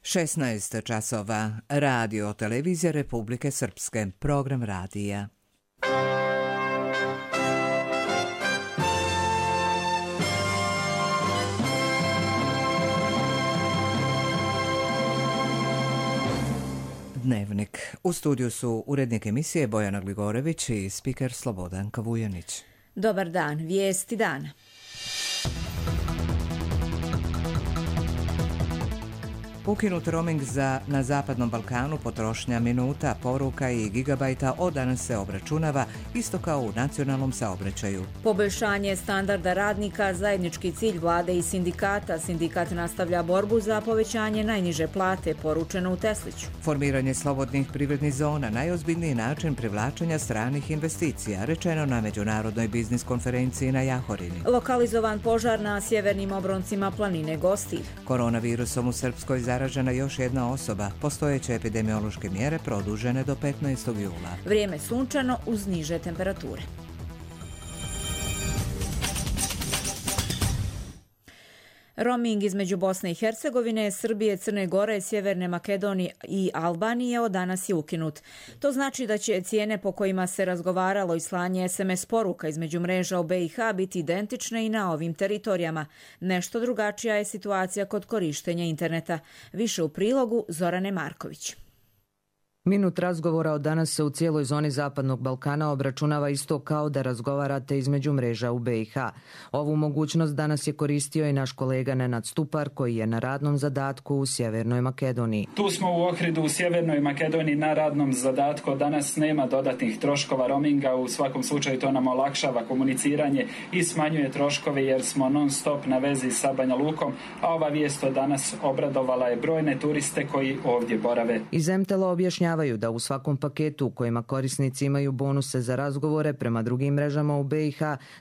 16 časova. Radio televizija Republike Srpske. Program radija. Dnevnik. U studiju su urednik emisije Bojana Gligorević i spiker Slobodan Kavujanić. Dobar dan, vijesti dana. Ukinut roaming na Zapadnom Balkanu, potrošnja minuta, poruka i gigabajta od danas se obračunava isto kao u nacionalnom saobraćaju. Poboljšanje standarda radnika, zajednički cilj vlade i sindikata. Sindikat nastavlja borbu za povećanje najniže plate, poručeno u Tesliću. Formiranje slobodnih privrednih zona, najozbiljniji način privlačenja stranih investicija, rečeno na Međunarodnoj biznis konferenciji na Jahorini. Lokalizovan požar na sjevernim obroncima planine Gostilj. Koronavirusom u Srpskoj zaražena još jedna osoba. Postojeće epidemiološke mjere produžene do 15. jula. Vrijeme sunčano uz niže temperature. Roaming između Bosne i Hercegovine, Srbije, Crne Gore, Sjeverne Makedonije i Albanije od danas je ukinut. To znači da će cijene po kojima se razgovaralo i slanje SMS poruka između mreža u BiH biti identične i na ovim teritorijama. Nešto drugačija je situacija kod korištenja interneta. Više u prilogu Zorane Marković. Minut razgovora od danas se u cijeloj zoni Zapadnog Balkana obračunava isto kao da razgovarate između mreža u BiH. Ovu mogućnost danas je koristio i naš kolega Nenad Stupar koji je na radnom zadatku u Sjevernoj Makedoniji. Tu smo u Ohridu u Sjevernoj Makedoniji na radnom zadatku. Danas nema dodatnih troškova roaminga. U svakom slučaju to nam olakšava komuniciranje i smanjuje troškove jer smo non stop na vezi sa Banja Lukom, a ova vijest od danas obradovala je brojne turiste koji ovdje borave. Iz MTL objašnjavaju da u svakom paketu u kojima korisnici imaju bonuse za razgovore prema drugim mrežama u BiH,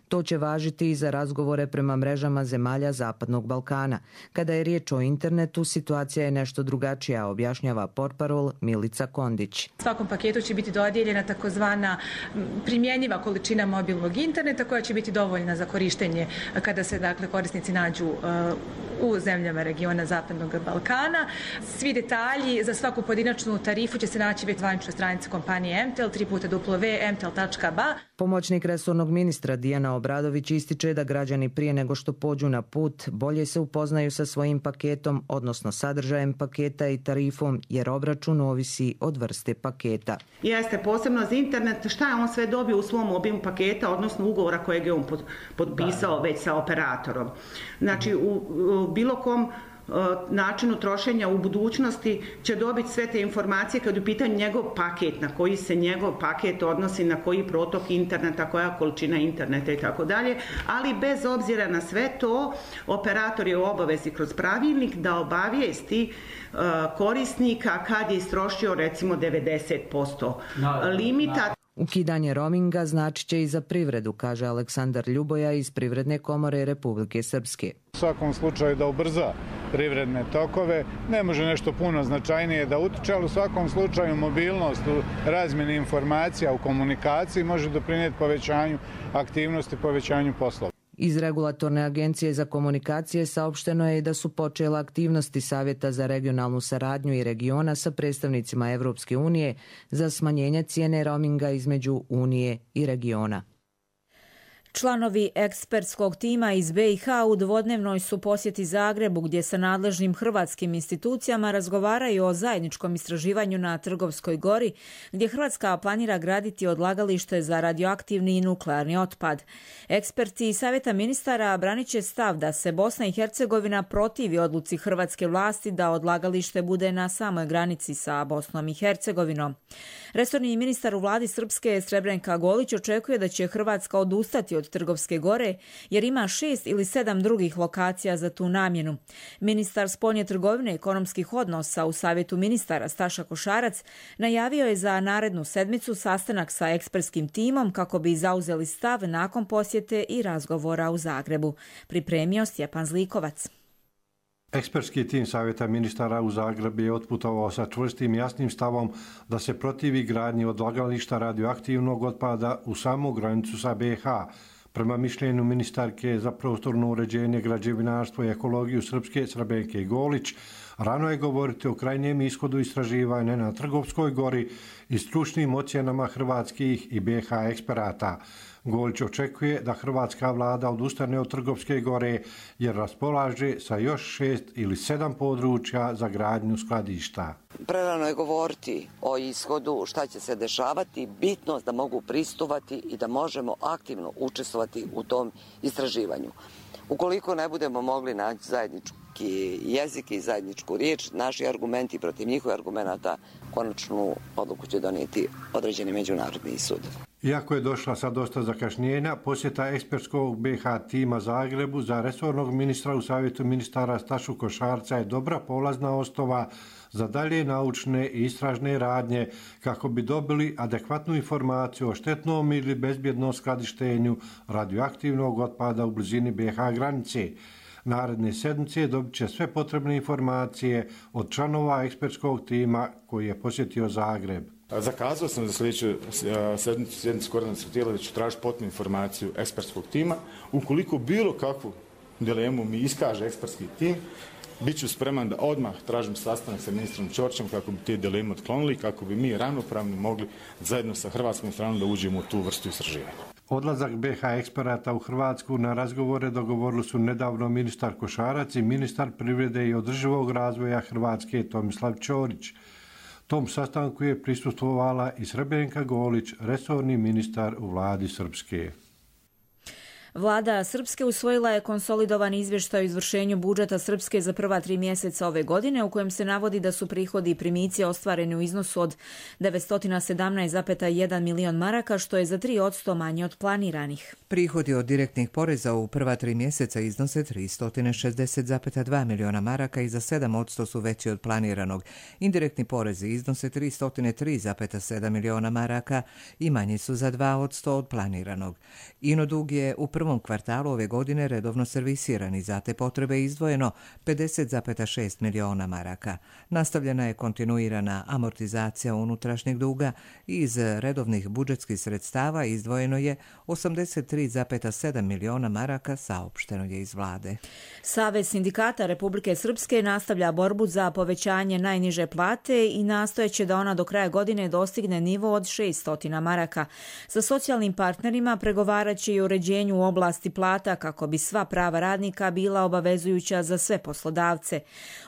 to će važiti i za razgovore prema mrežama zemalja Zapadnog Balkana. Kada je riječ o internetu, situacija je nešto drugačija, objašnjava portparol Milica Kondić. Svakom paketu će biti dodijeljena takozvana primjenjiva količina mobilnog interneta koja će biti dovoljna za korištenje kada se korisnici nađu u zemljama regiona Zapadnog Balkana. Svi detalji za svaku pojedinačnu tarifu će se naći već zvaničnoj stranici kompanije MTL, www.mtl.ba. Pomoćnik resornog ministra Dijana Obradović ističe da građani prije nego što pođu na put bolje se upoznaju sa svojim paketom, odnosno sadržajem paketa i tarifom, jer obračun ovisi od vrste paketa. Jeste posebno za internet, šta je on sve dobio u svom obimu paketa, odnosno ugovora kojeg je on potpisao već sa operatorom. Znači u bilo kom načinu trošenja u budućnosti će dobiti sve te informacije kad je u pitanju njegov paket, na koji se njegov paket odnosi, na koji protok interneta, koja količina interneta i tako dalje, ali bez obzira na sve to, operator je u obavezi kroz pravilnik da obavijesti korisnika kad je istrošio recimo 90% limita. Ukidanje roaminga znači će i za privredu, kaže Aleksandar Ljuboja iz Privredne komore Republike Srpske. U svakom slučaju da ubrza privredne tokove, ne može nešto puno značajnije da utiče, ali u svakom slučaju mobilnost u razmjeni informacija, u komunikaciji može doprinijeti povećanju aktivnosti, povećanju poslova. Iz Regulatorne agencije za komunikacije saopšteno je da su počele aktivnosti Savjeta za regionalnu saradnju i regiona sa predstavnicima Evropske unije za smanjenje cijene roaminga između Unije i regiona. Članovi ekspertskog tima iz BiH u dvodnevnoj su posjeti Zagrebu gdje sa nadležnim hrvatskim institucijama razgovaraju o zajedničkom istraživanju na Trgovskoj gori gdje Hrvatska planira graditi odlagalište za radioaktivni i nuklearni otpad. Eksperti Savjeta ministara branit će stav da se Bosna i Hercegovina protivi odluci hrvatske vlasti da odlagalište bude na samoj granici sa Bosnom i Hercegovinom. Resorni ministar u vladi Srpske Srebrenka Golić očekuje da će Hrvatska odustati od Trgovske gore jer ima 6 ili 7 drugih lokacija za tu namjenu. Ministar spoljne trgovine i ekonomskih odnosa u Savjetu ministara Staša Košarac najavio je za narednu sedmicu sastanak sa ekspertskim timom kako bi zauzeli stav nakon posjete i razgovora u Zagrebu. Pripremio Stjepan Zlikovac. Ekspertski tim Savjeta ministara u Zagreb je otputovao sa čvrstim i jasnim stavom da se protivi gradnji odlagališta radioaktivnog otpada u samu granicu sa BiH. Prema mišljenju ministarke za prostorno uređenje, građevinarstvo i ekologiju Srpske Srebenke Golić, Rano je govoriti o krajnjem ishodu istraživanja na Trgovskoj gori i stručnim ocjenama hrvatskih i BiH eksperata. Golić očekuje da hrvatska vlada odustane od Trgovske gore jer raspolaže sa još 6 ili 7 područja za gradnju skladišta. Prerano je govoriti o ishodu, šta će se dešavati, bitnost da mogu pristupati i da možemo aktivno učestvovati u tom istraživanju. Ukoliko ne budemo mogli naći zajednički jezik i zajedničku riječ, naši argumenti protiv njihovih argumenata konačnu odluku će donijeti određeni međunarodni sud. Iako je došla sa dosta zakašnjenja, posjeta ekspertskog BiH tima Zagrebu za resornog ministra u Savjetu ministara Stašu Košarca je dobra polazna osnova za dalje naučne i istražne radnje kako bi dobili adekvatnu informaciju o štetnom ili bezbjednom skladištenju radioaktivnog otpada u blizini BiH granice. Naredne sedmice dobit će sve potrebne informacije od članova ekspertskog tima koji je posjetio Zagreb. Zakazao sam za sljedeću sjednicu koordinacionog tijela da ću tražiti potpunu informaciju ekspertskog tima. Ukoliko bilo kakvu dilemu mi iskaže ekspertski tim, bit ću spreman da odmah tražim sastanak sa ministrom Ćorićem kako bi te dileme otklonili, kako bi mi ravnopravno mogli zajedno sa hrvatskom stranom da uđemo u tu vrstu istraživanja. Odlazak BiH eksperata u Hrvatsku na razgovore dogovorili su nedavno ministar Košarac i ministar privrede i održivog razvoja Hrvatske Tomislav Ćorić. Tom sastanku je prisustvovala i Srebrnka Golić, resorni ministar u vladi Srpske. Vlada Srpske usvojila je konsolidovani izvještaj o izvršenju budžeta Srpske za prva 3 mjeseca ove godine, u kojem se navodi da su prihodi i primici ostvareni u iznosu od 917,1 milion maraka, što je za 3% manje od planiranih. Prihodi od direktnih poreza u prva 3 mjeseca iznose 360,2 miliona maraka i za 7% su veći od planiranog. Indirektni porezi iznose 303,7 miliona maraka i manji su za 2% od planiranog. Inodug je u prvom kvartalu ove godine redovno servisiran i za te potrebe izdvojeno 50,6 miliona maraka. Nastavljena je kontinuirana amortizacija unutrašnjeg duga i iz redovnih budžetskih sredstava izdvojeno je 83,7 miliona maraka, saopšteno je iz vlade. Savez sindikata Republike Srpske nastavlja borbu za povećanje najniže plate i nastojeće da ona do kraja godine dostigne nivo od 600 maraka. Sa socijalnim partnerima pregovaraće i uređenju u oblasti plata kako bi sva prava radnika bila obavezujuća za sve poslodavce.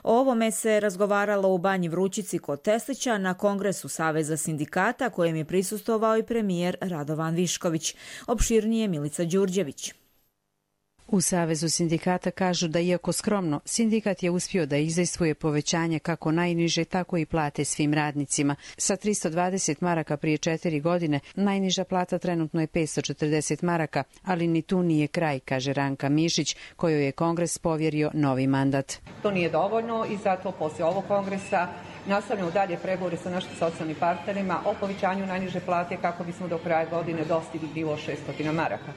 O ovome se razgovaralo u Banji Vrućici kod Teslića na Kongresu Saveza sindikata kojem je prisustvovao i premijer Radovan Višković. Opširnije Milica Đurđević. U Savezu sindikata kažu da iako skromno, sindikat je uspio da izdejstvuje povećanje kako najniže, tako i plate svim radnicima. Sa 320 maraka prije 4 godine, najniža plata trenutno je 540 maraka, ali ni tu nije kraj, kaže Ranka Mišić, kojoj je Kongres povjerio novi mandat. To nije dovoljno i zato poslije ovog kongresa nastavljamo dalje pregovore sa našim socijalnim partnerima o povećanju najniže plate kako bismo do kraja godine dostigli nivo 600 maraka.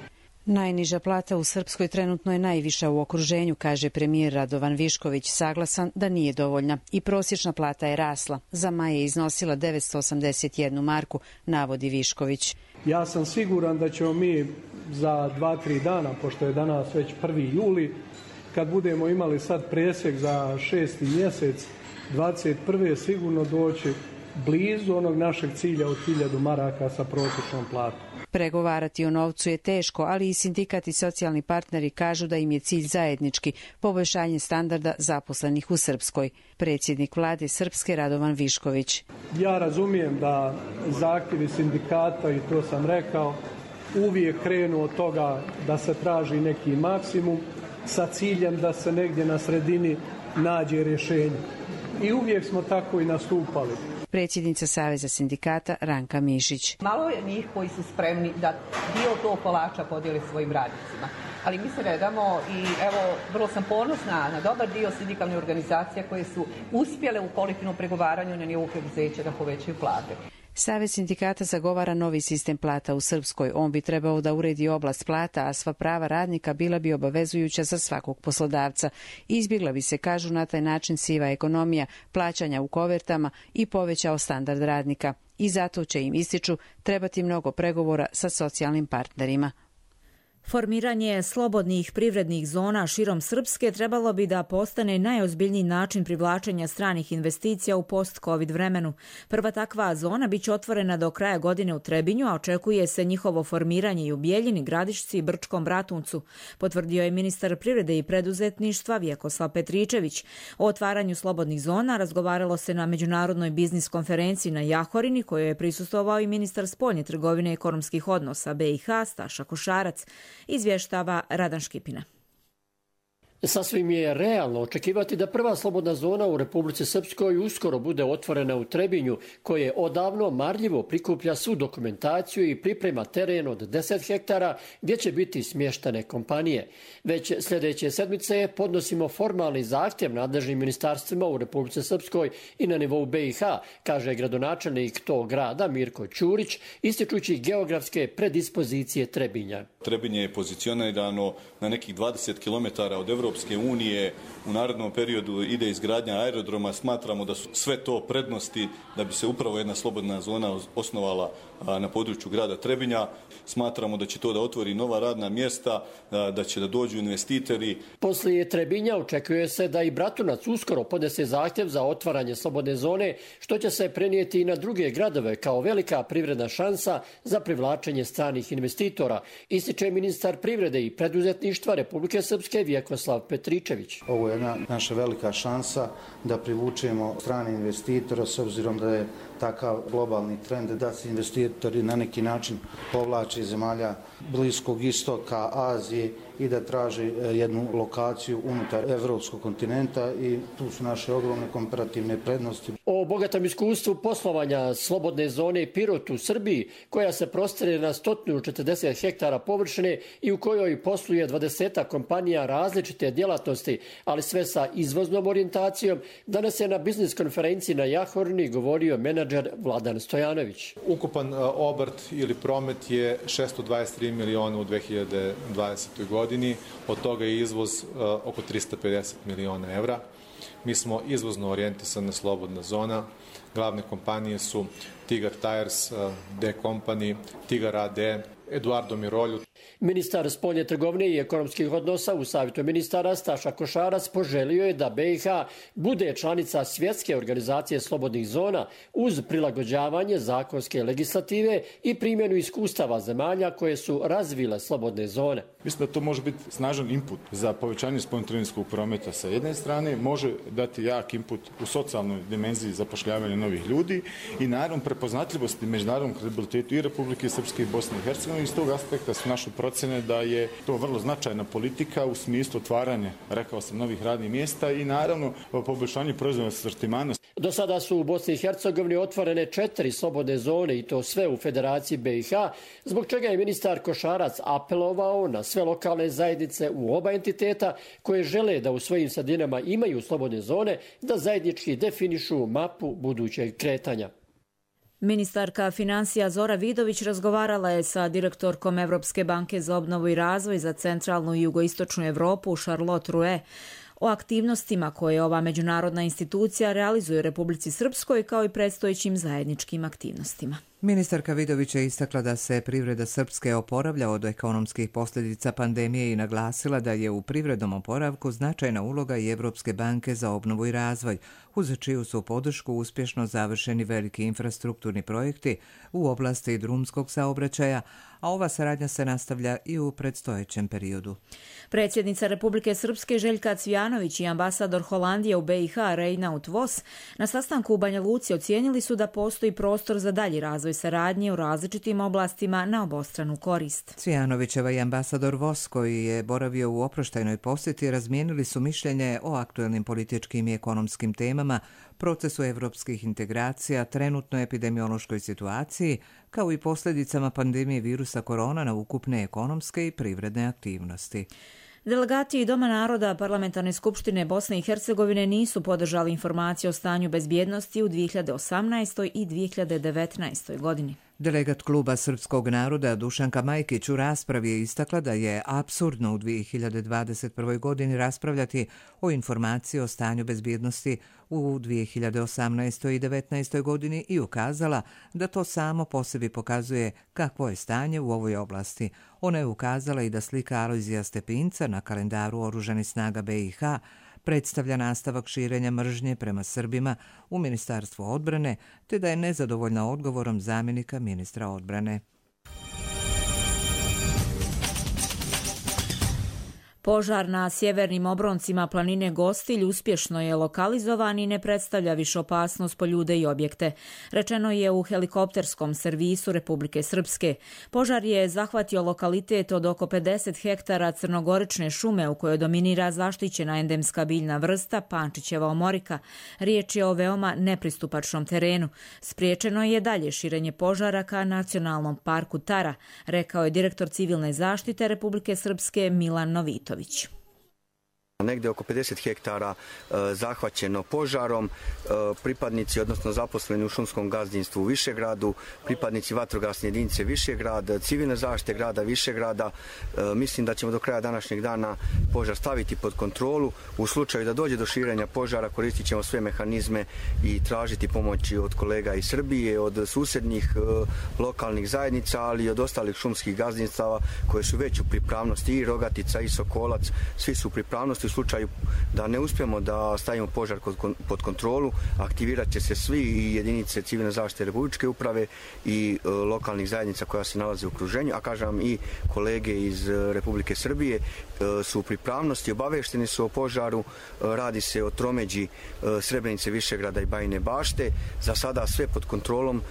Najniža plata u Srpskoj trenutno je najviša u okruženju, kaže premijer Radovan Višković, saglasan da nije dovoljna. I prosječna plata je rasla. Za maj je iznosila 981 marku, navodi Višković. Ja sam siguran da ćemo mi za 2-3 dana, pošto je danas već 1. juli, kad budemo imali sad presjek za 6. mjesec 21. sigurno doći blizu onog našeg cilja od 1000 maraka sa prosječnom platom. Pregovarati o novcu je teško, ali i sindikat i socijalni partneri kažu da im je cilj zajednički, poboljšanje standarda zaposlenih u Srpskoj. Predsjednik vlade Srpske Radovan Višković. Ja razumijem da zahtjevi sindikata, i to sam rekao, uvijek krenu od toga da se traži neki maksimum sa ciljem da se negdje na sredini nađe rješenje. I uvijek smo tako i nastupali. Predsjednica Saveza sindikata Ranka Mišić. Malo je njih koji su spremni da dio tog kolača podijeli svojim radnicima. Ali mi se ne damo i evo, vrlo sam ponosna na dobar dio sindikalnih organizacija koje su uspjele u kolektivnom pregovaranju na nivou preduzeća da povećaju plate. Savez sindikata zagovara novi sistem plata u Srpskoj. On bi trebao da uredi oblast plata, a sva prava radnika bila bi obavezujuća za svakog poslodavca. Izbjegla bi se, kažu, na taj način siva ekonomija, plaćanja u kovertama i povećao standard radnika. I zato će im, ističu, trebati mnogo pregovora sa socijalnim partnerima. Formiranje slobodnih privrednih zona širom Srpske trebalo bi da postane najozbiljniji način privlačenja stranih investicija u post-covid vremenu. Prva takva zona biće otvorena do kraja godine u Trebinju, a očekuje se njihovo formiranje i u Bijeljini, Gradišci i Brčkom Bratuncu, potvrdio je ministar privrede i preduzetništva Vjekoslav Petričević. O otvaranju slobodnih zona razgovaralo se na međunarodnoj biznis konferenciji na Jahorini, kojoj je prisustvovao i ministar spoljne trgovine i ekonomskih odnosa BiH Staša Košarac. Izvještava Radan Škipina. Sasvim je realno očekivati da prva slobodna zona u Republici Srpskoj uskoro bude otvorena u Trebinju, koje odavno marljivo prikuplja svu dokumentaciju i priprema teren od 10 hektara gdje će biti smještene kompanije. Već sljedeće sedmice podnosimo formalni zahtjev nadležnim ministarstvima u Republici Srpskoj i na nivou BiH, kaže gradonačelnik tog grada Mirko Ćurić, ističući geografske predispozicije Trebinja. Trebinje je pozicionirano na nekih 20 km od Evropske unije. U narednom periodu ide izgradnja aerodroma. Smatramo da su sve to prednosti da bi se upravo jedna slobodna zona osnovala na području grada Trebinja. Smatramo da će to da otvori nova radna mjesta, da će da dođu investitori. Poslije Trebinja očekuje se da i Bratunac uskoro podnese zahtjev za otvaranje slobodne zone, što će se prenijeti i na druge gradove kao velika privredna šansa za privlačenje stranih investitora, ističe ministar privrede i preduzetništva Republike Srpske Vjekoslav Petričević. Ovo je jedna naša velika šansa da privučemo strane investitore, s obzirom da je takav globalni trend da se investitori na neki način povlače iz zemalja Bliskog istoka, Azije i da traže jednu lokaciju unutar evropskog kontinenta i tu su naše ogromne komparativne prednosti. O bogatom iskustvu poslovanja slobodne zone Pirot u Srbiji, koja se prostire na 140 hektara površine i u kojoj posluje 20 kompanija različite djelatnosti, ali sve sa izvoznom orijentacijom, danas je na biznis konferenciji na Jahorini govorio menadžer Vladan Stojanović. Ukupan obrt ili promet je 623 miliona u 2020. godini, od toga je izvoz oko 350 miliona evra. Mi smo izvozno orijentisana slobodna zona. Glavne kompanije su Tigar Tires, D Company, Tigar AD, Eduardo Mirolju. Ministar spoljne trgovine i ekonomskih odnosa u Savjetu ministara Staša Košarac poželio je da BiH bude članica Svjetske organizacije slobodnih zona uz prilagođavanje zakonske legislative i primjenu iskustava zemalja koje su razvile slobodne zone. Mislim da to može biti snažan input za povećanje spoljnotrgovinskog prometa sa jedne strane, može dati jak input u socijalnoj dimenziji zapošljavanja novih ljudi i naravno prepoznatljivosti međunarodnom kredibilitetu i Republike Srpske i Bosne i Hercegovine. Iz tog aspekta su naše procjene da je to vrlo značajna politika u smislu otvaranja, rekao sam, novih radnih mjesta i naravno poboljšanje proizvodnog sortimana. Do sada su u Bosni i Hercegovini otvorene 4 slobodne zone i to sve u Federaciji BiH, zbog čega je ministar Košarac apelovao na sve lokalne zajednice u oba entiteta koje žele da u svojim sredinama imaju slobodne zone, da zajednički definišu mapu budućeg kretanja. Ministarka financija Zora Vidović razgovarala je sa direktorkom Evropske banke za obnovu i razvoj za centralnu i jugoistočnu Evropu Charlotte Rouet o aktivnostima koje ova međunarodna institucija realizuje u Republici Srpskoj kao i predstojećim zajedničkim aktivnostima. Ministarka Vidović je istakla da se privreda Srpske oporavlja od ekonomskih posljedica pandemije i naglasila da je u privrednom oporavku značajna uloga i Evropske banke za obnovu i razvoj, uz čiju su podršku uspješno završeni veliki infrastrukturni projekti u oblasti drumskog saobraćaja, a ova saradnja se nastavlja i u predstojećem periodu. Predsjednica Republike Srpske Željka Cvijanović i ambasador Holandije u BiH Reinout Vos na sastanku u Banja Luci ocijenili su da postoji prostor za dalji razvoj saradnje u različitim oblastima na obostranu korist. Cvijanovićeva i ambasador Vos, koji je boravio u oproštajnoj posjeti, razmijenili su mišljenje o aktuelnim političkim i ekonomskim temama, procesu evropskih integracija, trenutnoj epidemiološkoj situaciji, kao i posljedicama pandemije virusa korona na ukupne ekonomske i privredne aktivnosti. Delegati Doma naroda Parlamentarne skupštine Bosne i Hercegovine nisu podržali informacije o stanju bezbjednosti u 2018. i 2019. godini. Delegat Kluba srpskog naroda Dušanka Majkić u raspravi je istakla da je apsurdno u 2021. godini raspravljati o informaciji o stanju bezbjednosti u 2018. i 2019. godini i ukazala da to samo po sebi pokazuje kakvo je stanje u ovoj oblasti. Ona je ukazala i da slika Alojzija Stepinca na kalendaru Oružanih snaga BiH predstavlja nastavak širenja mržnje prema Srbima u Ministarstvu odbrane, te da je nezadovoljna odgovorom zamjenika ministra odbrane. Požar na sjevernim obroncima planine Gostilj uspješno je lokalizovan i ne predstavlja više opasnost po ljude i objekte. Rečeno je u helikopterskom servisu Republike Srpske. Požar je zahvatio lokalitet od oko 50 hektara crnogorične šume u kojoj dominira zaštićena endemska biljna vrsta Pančićeva omorika. Riječ je o veoma nepristupačnom terenu. Spriječeno je dalje širenje požara ka nacionalnom parku Tara, rekao je direktor civilne zaštite Republike Srpske Milan Novitović. Negdje oko 50 hektara zahvaćeno požarom, pripadnici, odnosno zaposleni u šumskom gazdinstvu u Višegradu, pripadnici vatrogasne jedinice Višegrad, civilne zaštite grada Višegrada. Mislim da ćemo do kraja današnjeg dana požar staviti pod kontrolu. U slučaju da dođe do širenja požara koristit ćemo sve mehanizme i tražiti pomoći od kolega iz Srbije, od susjednih lokalnih zajednica, ali i od ostalih šumskih gazdinstava koje su već u pripravnosti, i Rogatica i Sokolac, svi su u pripravnosti. U slučaju da ne uspijemo da stavimo požar pod kontrolu, aktivirat će se svi, i jedinice civilne zaštite Republičke uprave i lokalnih zajednica koja se nalaze u okruženju, a kažem i kolege iz Republike Srbije su u pripravnosti, obavešteni su o požaru. Radi se o tromeđi Srebrenice, Višegrada i Bajine Bašte. Za sada sve pod kontrolom.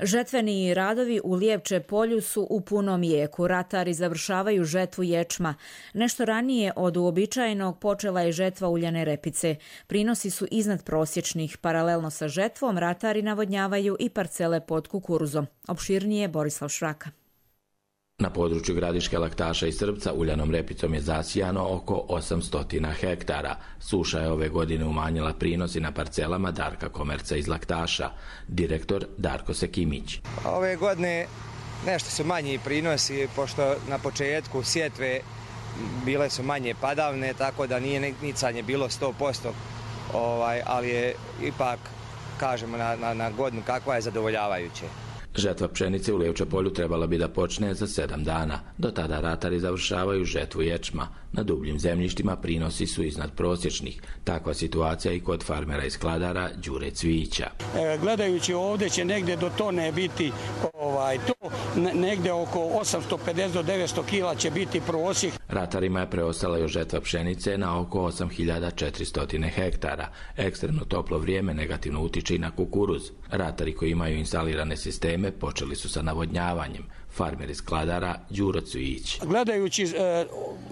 Žetveni radovi u Lijevče polju su u punom jeku. Ratari završavaju žetvu ječma. Nešto ranije od uobičajenog počela je žetva uljane repice. Prinosi su iznad prosječnih. Paralelno sa žetvom ratari navodnjavaju i parcele pod kukuruzom. Opširnije Borislav Šraka. Na području Gradiške, Laktaša i Srpca uljanom repicom je zasijano oko 800 hektara. Suša je ove godine umanjila prinosi na parcelama Darka Komerca iz Laktaša. Direktor Darko Sekimić. Ove godine nešto su manji prinosi, pošto na početku sjetve bile su manje padavne, tako da nije nicanje bilo 100%, ali je ipak, kažemo, na godinu kakva je zadovoljavajuće. Žetva pšenice u Lijevče polju trebala bi da počne za 7 dana. Do tada ratari završavaju žetvu ječma. Na dubljim zemljištima prinosi su iznad prosječnih. Takva situacija i kod farmera i skladara Đure Cvijića. Gledajući ovdje će negdje do tone biti to, negdje oko 850 do 900 kila će biti prosjek. Ratarima je preostala još žetva pšenice na oko 8400 hektara. Ekstremno toplo vrijeme negativno utiče i na kukuruz. Ratari koji imaju instalirane sisteme počeli su sa navodnjavanjem. Farmer iz skladara Đuro Cvijić. Gledajući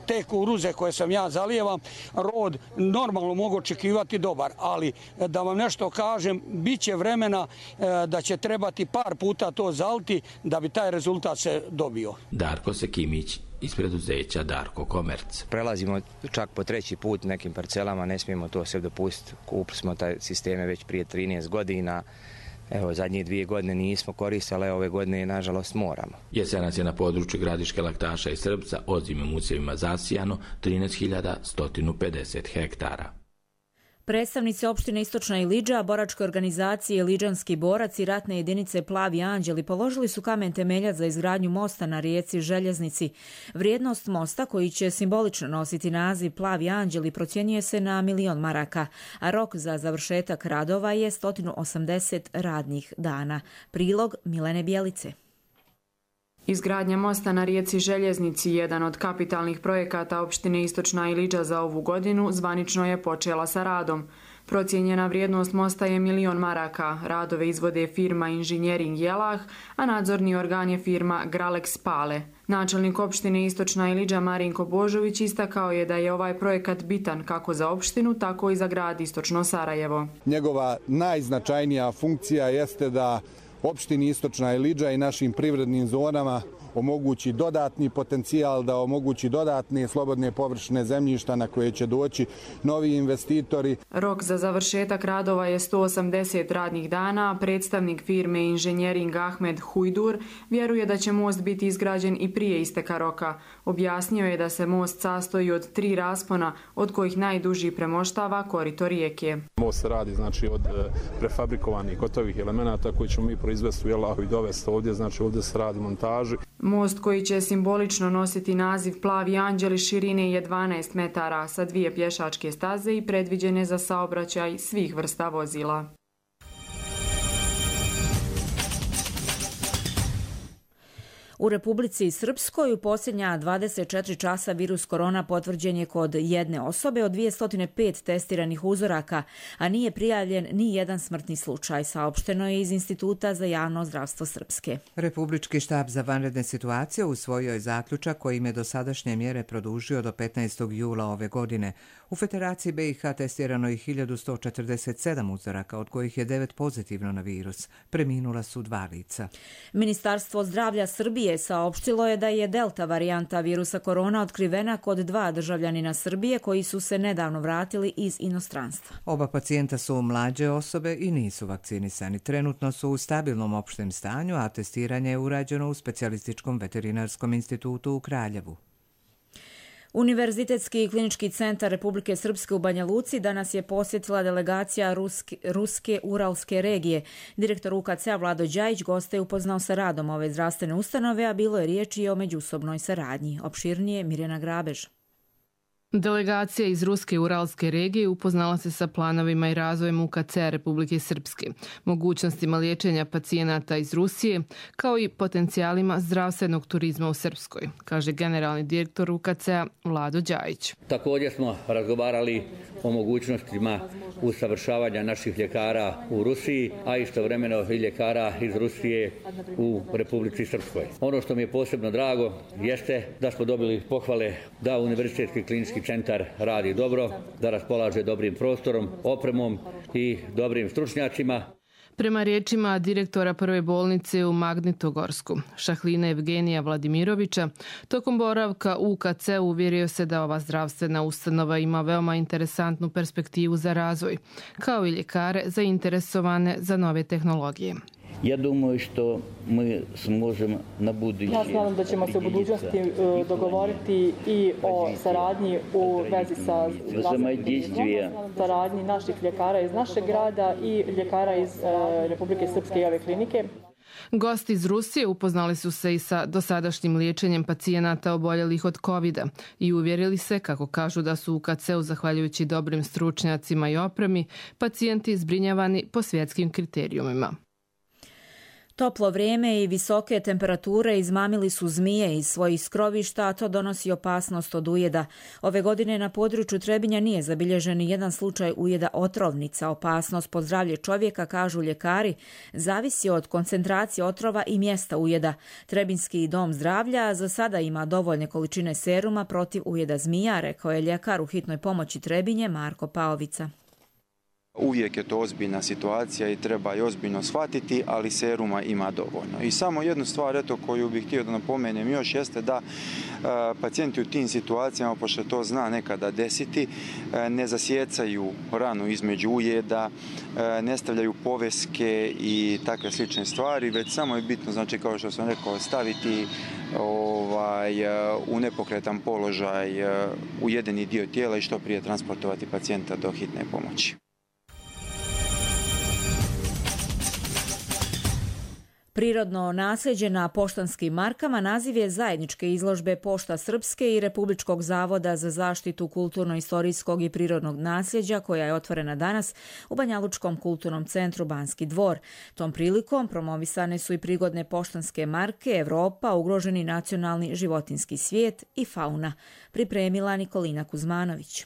te kukuruze koje sam ja zalijevam, rod normalno mogu očekivati dobar, ali da vam nešto kažem, bit će vremena da će trebati par puta to zaliti da bi taj rezultat se dobio. Darko Sekimić iz preduzeća Darko Komerc. Prelazimo čak po 3. put nekim parcelama, ne smijemo to sve dopustiti. Kupili smo taj sisteme već prije 13 godina. Evo, zadnje 2 godine nismo koristili, ove godine nažalost moramo. Jesenac je na području Gradiške, Laktaša i Srpca ozimim usjevima zasijano 13.150 hektara. Predstavnici opštine Istočna Ilidža, boračke organizacije Iliđanski borac i ratne jedinice Plavi anđeli položili su kamen temeljac za izgradnju mosta na rijeci Željeznici. Vrijednost mosta, koji će simbolično nositi naziv Plavi anđeli, procjenjuje se na 1 milion maraka, a rok za završetak radova je 180 radnih dana. Prilog Milene Bjelice. Izgradnja mosta na rijeci Željeznici, jedan od kapitalnih projekata opštine Istočna Ilidža za ovu godinu, zvanično je počela sa radom. Procijenjena vrijednost mosta je 1 milion maraka. Radove izvode firma Inženjering Jelah, a nadzorni organ je firma Gralex Pale. Načelnik opštine Istočna Ilidža Marinko Božović istakao je da je ovaj projekat bitan kako za opštinu, tako i za grad Istočno Sarajevo. Njegova najznačajnija funkcija jeste da opštini Istočna Ilidža i našim privrednim zonama omogući dodatni potencijal, da omogući dodatne slobodne površine zemljišta na koje će doći novi investitori. Rok za završetak radova je 180 radnih dana. Predstavnik firme Inženjering Ahmed Hujdur vjeruje da će most biti izgrađen i prije isteka roka. Objasnio je da se most sastoji od 3 raspona, od kojih najduži premoštava korito rijeke. Most se radi znači od prefabrikovanih gotovih elemenata koji ćemo mi proizvesti u Jelahu i dovesti ovdje, znači ovdje se radi montaži. Most koji će simbolično nositi naziv Plavi anđeli širine je 12 metara sa 2 pješačke staze i predviđene za saobraćaj svih vrsta vozila. U Republici Srpskoj u posljednja 24 časa virus korona potvrđen je kod jedne osobe od 205 testiranih uzoraka, a nije prijavljen ni jedan smrtni slučaj, saopšteno je iz Instituta za javno zdravstvo Srpske. Republički štab za vanredne situacije usvojio je zaključak kojim je dosadašnje mjere produžio do 15. jula ove godine. U Federaciji BiH testirano je 1147 uzoraka, od kojih je 9 pozitivno na virus. Preminula su 2 lica. Ministarstvo zdravlja Srbije saopštilo je da je delta varijanta virusa korona otkrivena kod 2 državljanina Srbije koji su se nedavno vratili iz inostranstva. Oba pacijenta su mlađe osobe i nisu vakcinisani. Trenutno su u stabilnom opštem stanju, a testiranje je urađeno u Specijalističkom veterinarskom institutu u Kraljevu. Univerzitetski klinički centar Republike Srpske u Banja Luci danas je posjetila delegacija Ruske Uralske regije. Direktor UKC-a Vlado Đajić goste je upoznao sa radom ove zdravstvene ustanove, a bilo je riječi i o međusobnoj saradnji. Opširnije Mirjana Grabež. Delegacija iz Ruske Uralske regije upoznala se sa planovima i razvojem UKC-a Republike Srpske, mogućnostima liječenja pacijenata iz Rusije, kao i potencijalima zdravstvenog turizma u Srpskoj, kaže generalni direktor UKC-a Vlado Đajić. Također smo razgovarali o mogućnostima usavršavanja naših ljekara u Rusiji, a istovremeno i ljekara iz Rusije u Republici Srpskoj. Ono što mi je posebno drago jeste da smo dobili pohvale da Univerzitetski klinički centar radi dobro, da raspolaže dobrim prostorom, opremom i dobrim stručnjacima. Prema riječima direktora prve bolnice u Magnitogorsku, Šahlina Evgenija Vladimirovića, tokom boravka u UKC uvjerio se da ova zdravstvena ustanova ima veoma interesantnu perspektivu za razvoj, kao i ljekare zainteresovane za nove tehnologije. Ja думаю, što mi sможemo na buduće. Ja smatram da ćemo se u budućnosti dogovoriti i o saradnji u vezi sa saradnji naših ljekara iz našeg grada i ljekara iz Republike Srpske i ove klinike. Gosti iz Rusije upoznali su se i sa dosadašnjim liječenjem pacijenata oboljelih od COVID-a i uvjerili se, kako kažu, da su u UKC-u, zahvaljujući dobrim stručnjacima i opremi, pacijenti zbrinjavani po svjetskim kriterijumima. Toplo vrijeme i visoke temperature izmamili su zmije iz svojih skrovišta, a to donosi opasnost od ujeda. Ove godine na području Trebinja nije zabilježen ni jedan slučaj ujeda otrovnica. Opasnost po zdravlje čovjeka, kažu ljekari, zavisi od koncentracije otrova i mjesta ujeda. Trebinjski dom zdravlja za sada ima dovoljne količine seruma protiv ujeda zmija, rekao je ljekar u hitnoj pomoći Trebinje Marko Paovica. Uvijek je to ozbiljna situacija i treba je ozbiljno shvatiti, ali seruma ima dovoljno. I samo jednu stvar koju bih htio da napomenem još jeste da pacijenti u tim situacijama, pošto to zna nekada desiti, ne zasjecaju ranu između ujeda, ne stavljaju poveske i takve slične stvari, već samo je bitno, znači kao što sam rekao, staviti u nepokretan položaj ujedeni dio tijela i što prije transportovati pacijenta do hitne pomoći. Prirodno nasljeđe na poštanskim markama naziv je zajedničke izložbe Pošta Srpske i Republičkog zavoda za zaštitu kulturno-istorijskog i prirodnog nasljeđa, koja je otvorena danas u Banjalučkom kulturnom centru Banski dvor. Tom prilikom promovisane su i prigodne poštanske marke Evropa, ugroženi nacionalni životinjski svijet i fauna. Pripremila Nikolina Kuzmanović.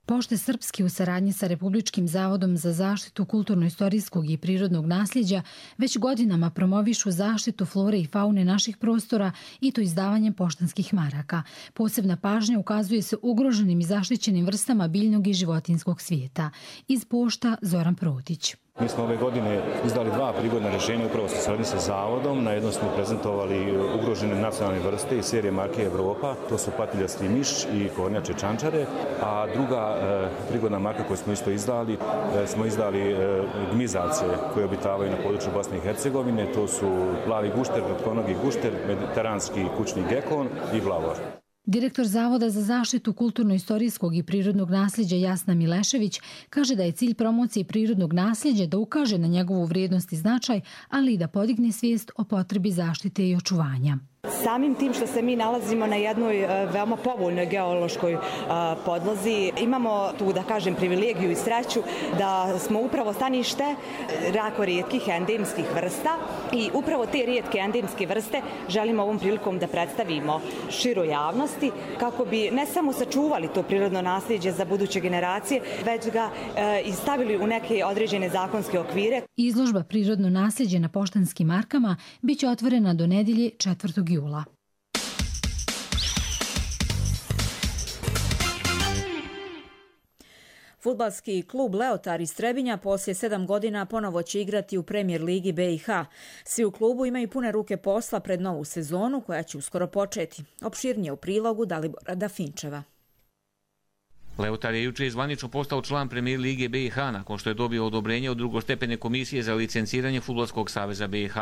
Pošte Srpske u saradnji sa Republičkim zavodom za zaštitu kulturno-istorijskog i prirodnog nasljeđa već godinama promovišu zaštitu flore i faune naših prostora i to izdavanjem poštanskih maraka. Posebna pažnja ukazuje se ugroženim i zaštićenim vrstama biljnog i životinjskog svijeta. Iz pošta Zoran Protić. Mi smo ove godine izdali 2 prigodna rješenja upravo sa saradnji sa zavodom. Na jednom smo prezentovali ugrožene nacionalne vrste iz serije marke Evropa. To su patiljasti miš i kornjače čančare. A druga prigodna marka koju smo isto izdali, smo izdali gmizace koje obitavaju na području Bosne i Hercegovine. To su plavi gušter, kratkonogi gušter, mediteranski kućni gekon i vlavor. Direktor Zavoda za zaštitu kulturno-istorijskog i prirodnog nasljeđa Jasna Milešević kaže da je cilj promocije prirodnog nasljeđa da ukaže na njegovu vrijednost i značaj, ali i da podigne svijest o potrebi zaštite i očuvanja. Samim tim što se mi nalazimo na jednoj veoma povoljnoj geološkoj podlozi, imamo tu, da kažem, privilegiju i sreću da smo upravo stanište jako rijetkih endemskih vrsta i upravo te rijetke endemske vrste želimo ovom prilikom da predstavimo široj javnosti kako bi ne samo sačuvali to prirodno nasljeđe za buduće generacije, već ga i stavili u neke određene zakonske okvire. Izložba Prirodno nasljeđe na Poštanskim markama biće otvorena do nedjelje 4. jula. Fudbalski klub Leotar iz Trebinja poslije 7 godina ponovo će igrati u Premier ligi BiH. Svi u klubu imaju pune ruke posla pred novu sezonu koja će uskoro početi. Opširnije u prilogu Dalibora Dafinčeva. Leotar je jučer zvanično postao član Premier lige BiH nakon što je dobio odobrenje od drugostepene komisije za licenciranje Fudbalskog saveza BiH.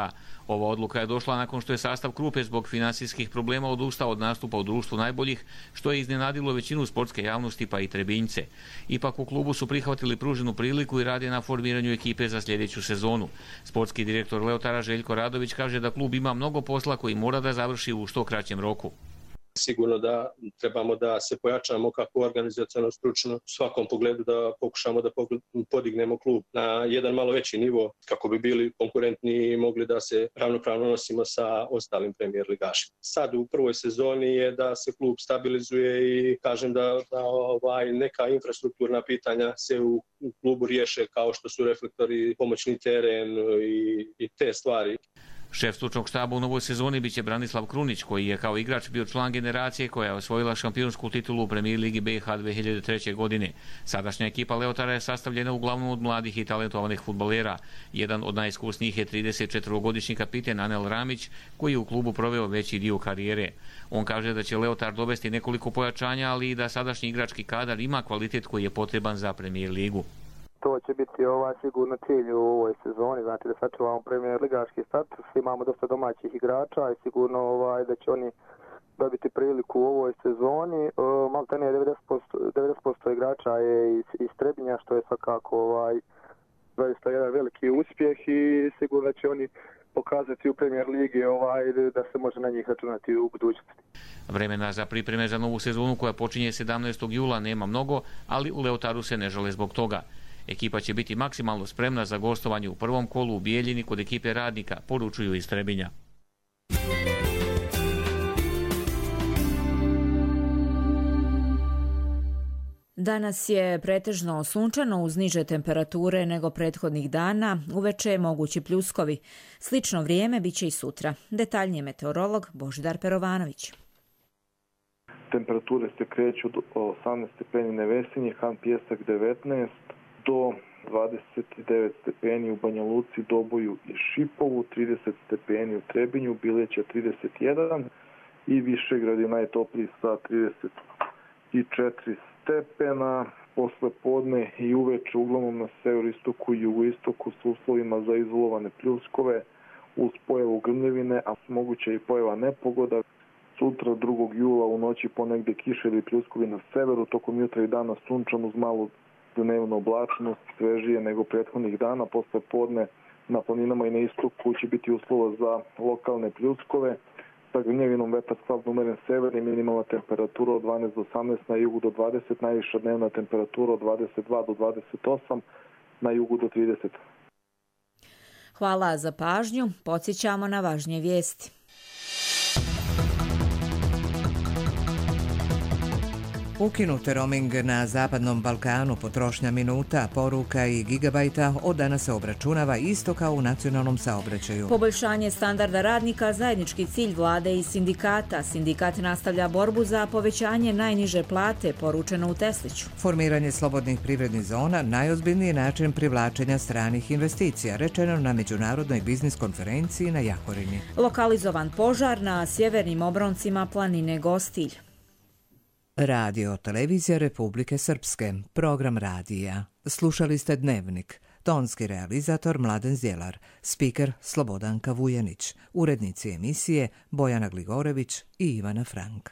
Ova odluka je došla nakon što je sastav Krupe zbog finansijskih problema odustao od nastupa u društvu najboljih, što je iznenadilo većinu sportske javnosti pa i Trebinjce. Ipak u klubu su prihvatili pruženu priliku i rade na formiranju ekipe za sljedeću sezonu. Sportski direktor Leotara Željko Radović kaže da klub ima mnogo posla koji mora da završi u što kraćem roku. Sigurno da trebamo da se pojačamo kako organizaciono, stručno, u svakom pogledu da pokušamo da podignemo klub na jedan malo veći nivo kako bi bili konkurentni i mogli da se ravnopravno nosimo sa ostalim premijer ligašima. Sad u prvoj sezoni je da se klub stabilizuje i kažem da neka infrastrukturna pitanja se u klubu riješe kao što su reflektori, pomoćni teren i te stvari. Šef stručnog štaba u novoj sezoni biće Branislav Krunić, koji je kao igrač bio član generacije koja je osvojila šampionsku titulu u Premier ligi BiH 2003. godine. Sadašnja ekipa Leotara je sastavljena uglavnom od mladih i talentovanih fudbalera. Jedan od najiskusnijih je 34-godišnji kapiten Anel Ramić, koji je u klubu proveo veći dio karijere. On kaže da će Leotar dovesti nekoliko pojačanja, ali i da sadašnji igrački kadar ima kvalitet koji je potreban za Premier ligu. To će biti sigurno cilj u ovoj sezoni, znači da sačuvamo premier ligaški status, imamo dosta domaćih igrača i sigurno da će oni dobiti priliku u ovoj sezoni. Maltene 90% igrača je iz Trebinja, što je svakako zaista jedan veliki uspjeh i sigurno će oni pokazati u Premier ligi da se može na njih računati u budućnosti. Vremena za pripreme za novu sezonu koja počinje 17. jula nema mnogo, ali u Leotaru se ne žale zbog toga. Ekipa će biti maksimalno spremna za gostovanje u prvom kolu u Bijeljini kod ekipe Radnika, poručuju iz Trebinja. Danas je pretežno sunčano uz niže temperature nego prethodnih dana, uveče mogući pljuskovi. Slično vrijeme bit će i sutra. Detaljnije meteorolog Božidar Perovanović. Temperature se kreću do 18 stepeni Nevesinje, Han Pijesak 19, do 29 stepeni u Banja Luci, Doboju i Šipovu, 30 stepeni u Trebinju, Bileća 31 i Višegrad je najtopliji sa 34 stepena. Posle podne i uveče uglavnom na severoistoku i jugoistoku s uslovima za izolovane pljuskove uz pojavu grmljevine, a moguća i pojava nepogoda. Sutra 2. jula u noći ponegde kiše ili pljuskovi na severu, tokom jutra i dana sunčan uz malu dnevno oblačnost, svežije nego prethodnih dana. Posle podne na planinama i na istoku će biti uslova za lokalne pljuskove. Sa grmljevinom vetar slabno umeren sever i minimalna temperatura od 12 do 18, na jugu do 20, najviša dnevna temperatura od 22 do 28, na jugu do 30. Hvala za pažnju. Podsjećamo na važnije vijesti. Ukinut roaming na Zapadnom Balkanu, potrošnja minuta, poruka i gigabajta od danas se obračunava isto kao u nacionalnom saobraćaju. Poboljšanje standarda radnika, zajednički cilj vlade i sindikata. Sindikat nastavlja borbu za povećanje najniže plate, poručeno u Tesliću. Formiranje slobodnih privrednih zona najozbiljniji način privlačenja stranih investicija, rečeno na međunarodnoj biznis konferenciji na Jahorini. Lokalizovan požar na sjevernim obroncima planine Gostilj. Radio Televizija Republike Srpske, program radija. Slušali ste Dnevnik. Tonski realizator Mladen Zjelar, spiker Slobodanka Vujanić, urednici emisije Bojana Gligorević i Ivana Frank.